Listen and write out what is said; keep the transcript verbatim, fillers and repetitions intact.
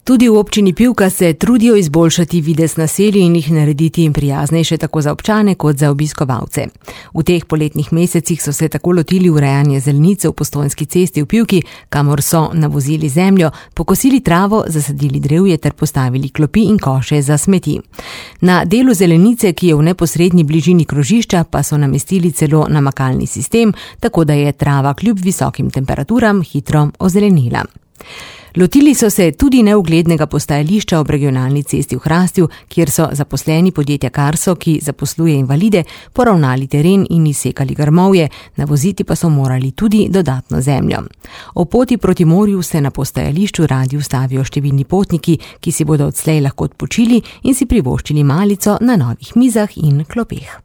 Tudi v občini Pivka se trudijo izboljšati videz naselij in jih narediti prijaznejše tako za občane kot za obiskovalce. V teh poletnih mesecih so se tako lotili urejanja zelenice v Postojnski cesti v Pivki, kamor so navozili zemljo, pokosili travo, zasadili drevje ter postavili klopi in koše za smeti. Na delu zelenice, ki je v neposrednji bližini krožišča, pa so namestili celo namakalni sistem, tako da je trava kljub visokim temperaturam hitro ozelenila. Lotili so se tudi neuglednega postajališča ob regionalni cesti v Hrastju, kjer so zaposleni podjetja Karso, ki zaposluje invalide, poravnali teren in izsekali grmovje, navoziti pa so morali tudi dodatno zemljo. O poti proti morju se na postajališču radi ustavijo številni potniki, ki si bodo odslej lahko odpočili in si privoščili malico na novih mizah in klopeh.